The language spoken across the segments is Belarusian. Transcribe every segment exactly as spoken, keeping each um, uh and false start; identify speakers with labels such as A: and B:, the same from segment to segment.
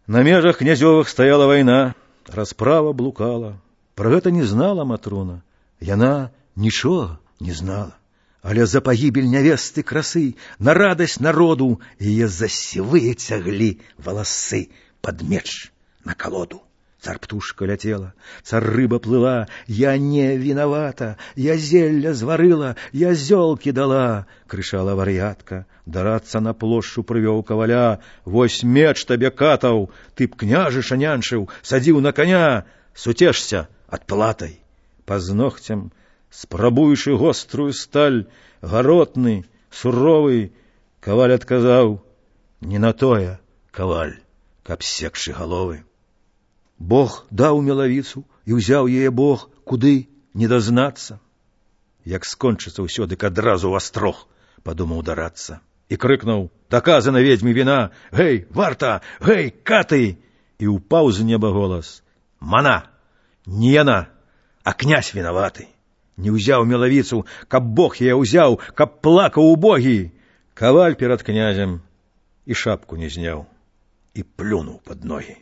A: На межах князёвых стаяла вайна, расправа блукала. Пра гэта не знала Матрона. Яна нічога не знала. Але за пагібель нявесты красы, на радасць народу, яе за сівыя цяглі валасы пад меч на калоду. Цар-птушка ляцела, цар-рыба плыла, я не вінавата, я зелля зварыла, я зёлкі дала, крычала вар'ятка. Дарацца на плошчу прывёў каваля, вось меч табе катаў, ты б княжыша нянчыў, садзіў на коня, суцешся адплатай. Пазногцем, спрабуючы гострую сталь, гаротны, суровы, каваль адказаў: не на тое, каваль, каб секшы галовы. Бог даў мелавіцу, і ўзяў яе Бог, куды не дазнацца. Як скончыцца ўсё, дык адразу ў астрог, падумаў дарацца. І крыкнуў: даказана ведзьме віна, гэй, варта, гэй, каты! І ўпаў з неба голас: мана, не яна, а князь вінаваты. Не ўзяў мелавіцу, каб Бог яе ўзяў, каб плакаў убогі. Каваль перад князем і шапку не зняў, і плюнуў пад ногі.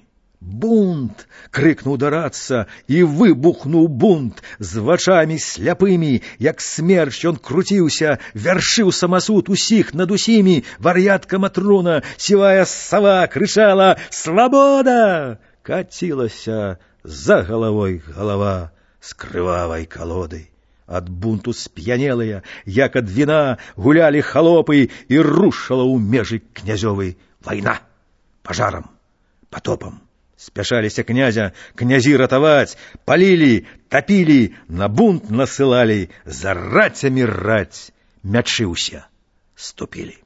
A: Бунт! Крыкнуў дарацца, і выбухнуў бунт. З вачамі сляпымі, як смерч, ён круціўся, вяршыў самасуд усіх над усімі. Вар'ятка Матрона, сівая сава, крычала: свабода! Кацілася за галавой галава з крывавай калоды. Ад бунту сп'янелыя, як ад віна, гулялі халопы, і рушала ў межы князёвы вайна. Пажарам, патопам спяшаліся князя, князі ратаваць, палілі, тапілі, на бунт насылалі, за рацямі раць, мячы ўсе ступілі.